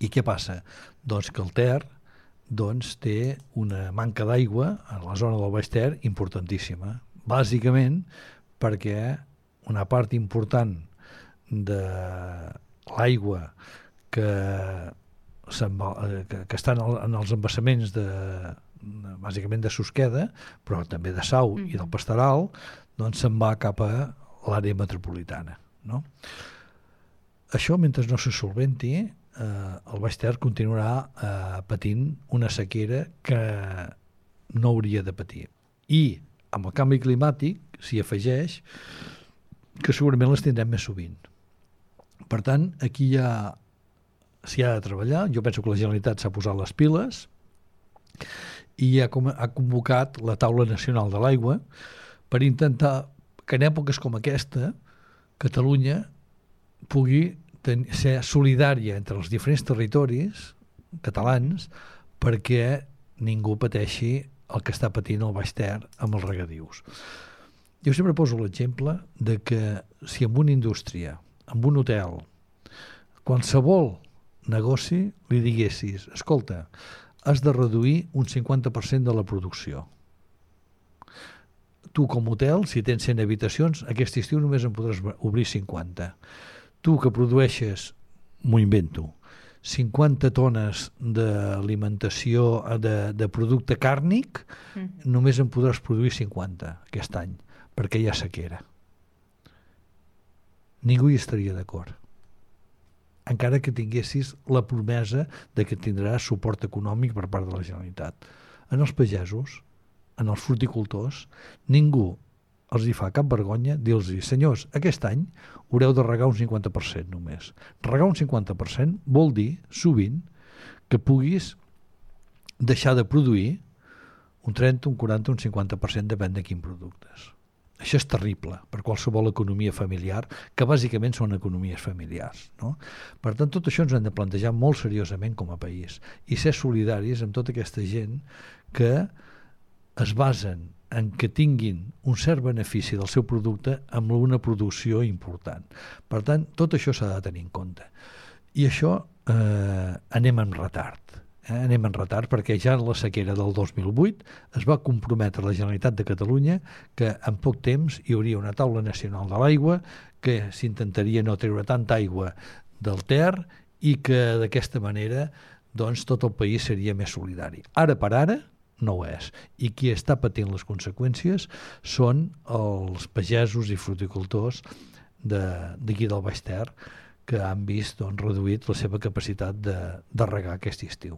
I què passa? Doncs que el Ter té una manca d'aigua a la zona del Baix Ter importantíssima, bàsicament perquè una part important de l'aigua que, que està en els embassaments bàsicament de Susqueda, però també de Sau i del Pastoral, doncs se'n va cap a l'àrea metropolitana, no? Això, mentre no se solventi, el Baix Ter continuarà patint una sequera que no hauria de patir. I amb el canvi climàtic s'hi afegeix que segurament les tindrem més sovint. Per tant, aquí s'hi ha de treballar. Jo penso que la Generalitat s'ha posat les piles i ha convocat la Taula Nacional de l'Aigua per intentar que en èpoques com aquesta Catalunya pugui ser solidària entre els diferents territoris catalans perquè ningú pateixi el que està patint el Baix Ter amb els regadius. Jo sempre poso l'exemple de que si en una indústria, en un hotel, qualsevol negoci li diguessis, escolta, has de reduir un 50% de la producció. Tu com a hotel, si tens 100 habitacions, aquest estiu només en podràs obrir 50. Tu que produeixes, m'ho invento, 50 tones d'alimentació de producte càrnic, només en podràs produir 50 aquest any, perquè hi ha sequera. Ningú hi estaria d'acord. Encara que tinguessis la promesa de que tindràs suport econòmic per part de la Generalitat. En els pagesos, en els fruticultors, ningú els hi fa cap vergonya dir-los, senyors, aquest any haureu de regar un 50% només. Regar un 50% vol dir, sovint, que puguis deixar de produir un 30, un 40, un 50%, depèn de quins productes. Això és terrible per qualsevol economia familiar, que bàsicament són economies familiars, no? Per tant, tot això ens hem de plantejar molt seriosament com a país i ser solidaris amb tota aquesta gent que es basen en que tinguin un cert benefici del seu producte amb una producció important. Per tant, tot això s'ha de tenir en compte. I això anem en retard. Anem en retard perquè ja en la sequera del 2008 es va comprometre la Generalitat de Catalunya que en poc temps hi hauria una taula nacional de l'aigua, que s'intentaria no treure tanta aigua del Ter i que d'aquesta manera doncs, tot el país seria més solidari. Ara per ara no ho és. I qui està patint les conseqüències són els pagesos i fruticultors d'aquí del Baix Ter que han vist reduït la seva capacitat de regar aquest estiu.